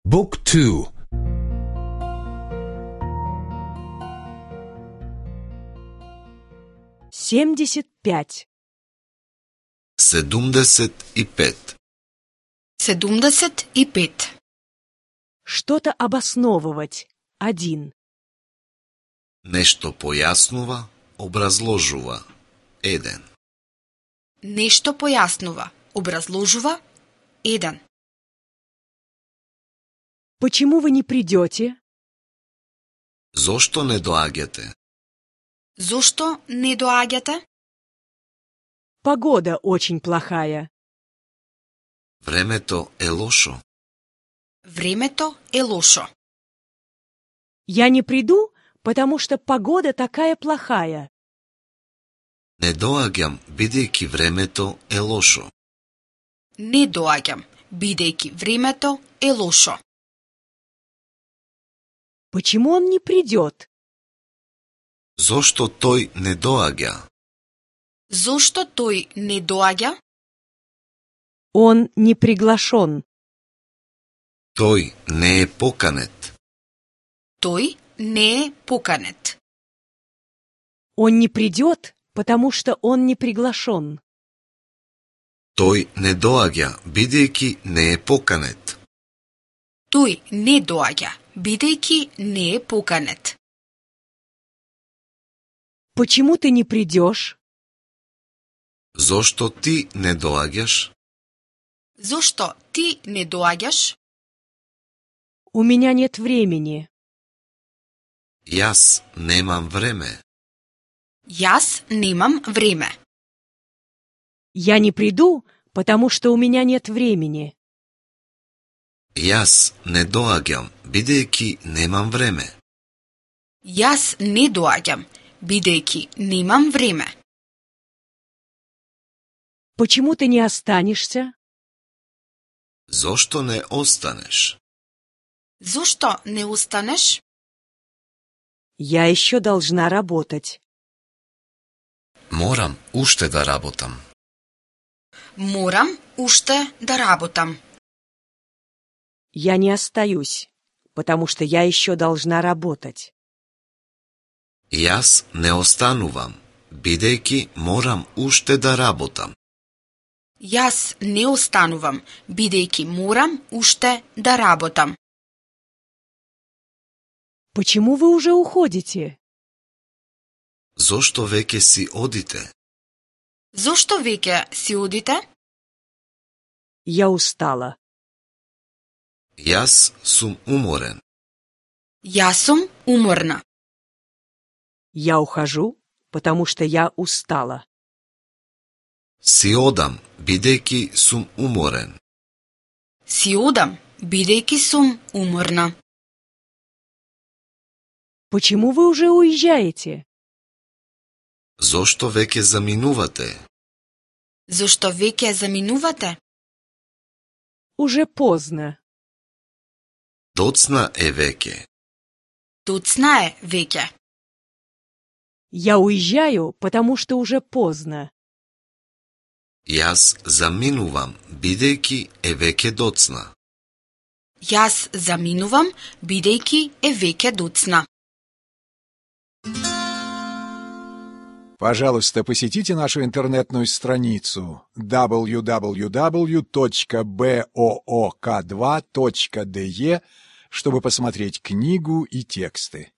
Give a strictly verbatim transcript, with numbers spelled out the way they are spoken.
Book two. семьдесят пять. седумдесет и пет. седумдесет и пет. Что-то обосновывать. Один. Нешто појаснува, образложува. Еден. Нешто појаснува, образложува. Еден. Почему вы не придете? Зошто не доаѓате? Зошто не доаѓате? Погода очень плохая. Времето е лошо. Времето е лошо. Я не приду, потому что погода такая плохая. Не доаѓам, бидејќи времето е лошо. Не доаѓам, бидејќи времето е лошо. Почему он не придет? Зошто тој не доаѓа? Зошто тој не доаѓа? Он не приглашен. Тој не е поканет. Тој не е поканет. Он не придет, потому что он не приглашен. Тој не доаѓа, бидејќи не е поканет. Тој не доаѓа, бидејќи не е поканет. Почему ты не придешь? Зошто ти не доаѓаш? Зошто ти не доаѓаш? У меня нет времени. Јас немам време. Јас немам време. Я не приду, потому что у меня нет времени. Јас не доаѓам, бидејќи немам време. Јас не доаѓам, бидејќи немам време. Почему ты не останешься? Зошто не останеш? Зошто не останеш? Я еще должна работать. Морам уште да работам. Морам уште да работам. Я не остаюсь, потому что я еще должна работать. Јас не останувам, бидејќи морам уште да работам. Јас не останувам, бидејќи морам уште да работам. Почему вы уже уходите? Зошто веќе си одите? Зошто веќе си одите? Я устала. Јас сум уморен. Јас сум уморна. Я ухожу, потому что я устала. Си одам, бидејќи сум уморен. Си одам, бидејќи сум уморна. Почему вы уже уезжаете? Зошто веќе заминувате? Зошто веќе заминувате? Уже поздно. Доцна е веќе. Доцна е веќе. Я уезжаю, потому что уже поздно. Јас заминувам, бидејќи е веќе доцна. Јас заминувам, бидејќи е веќе доцна. Пожалуйста, посетите нашу интернетную страницу дабл ю дабл ю дабл ю точка боок два точка де, чтобы посмотреть книгу и тексты.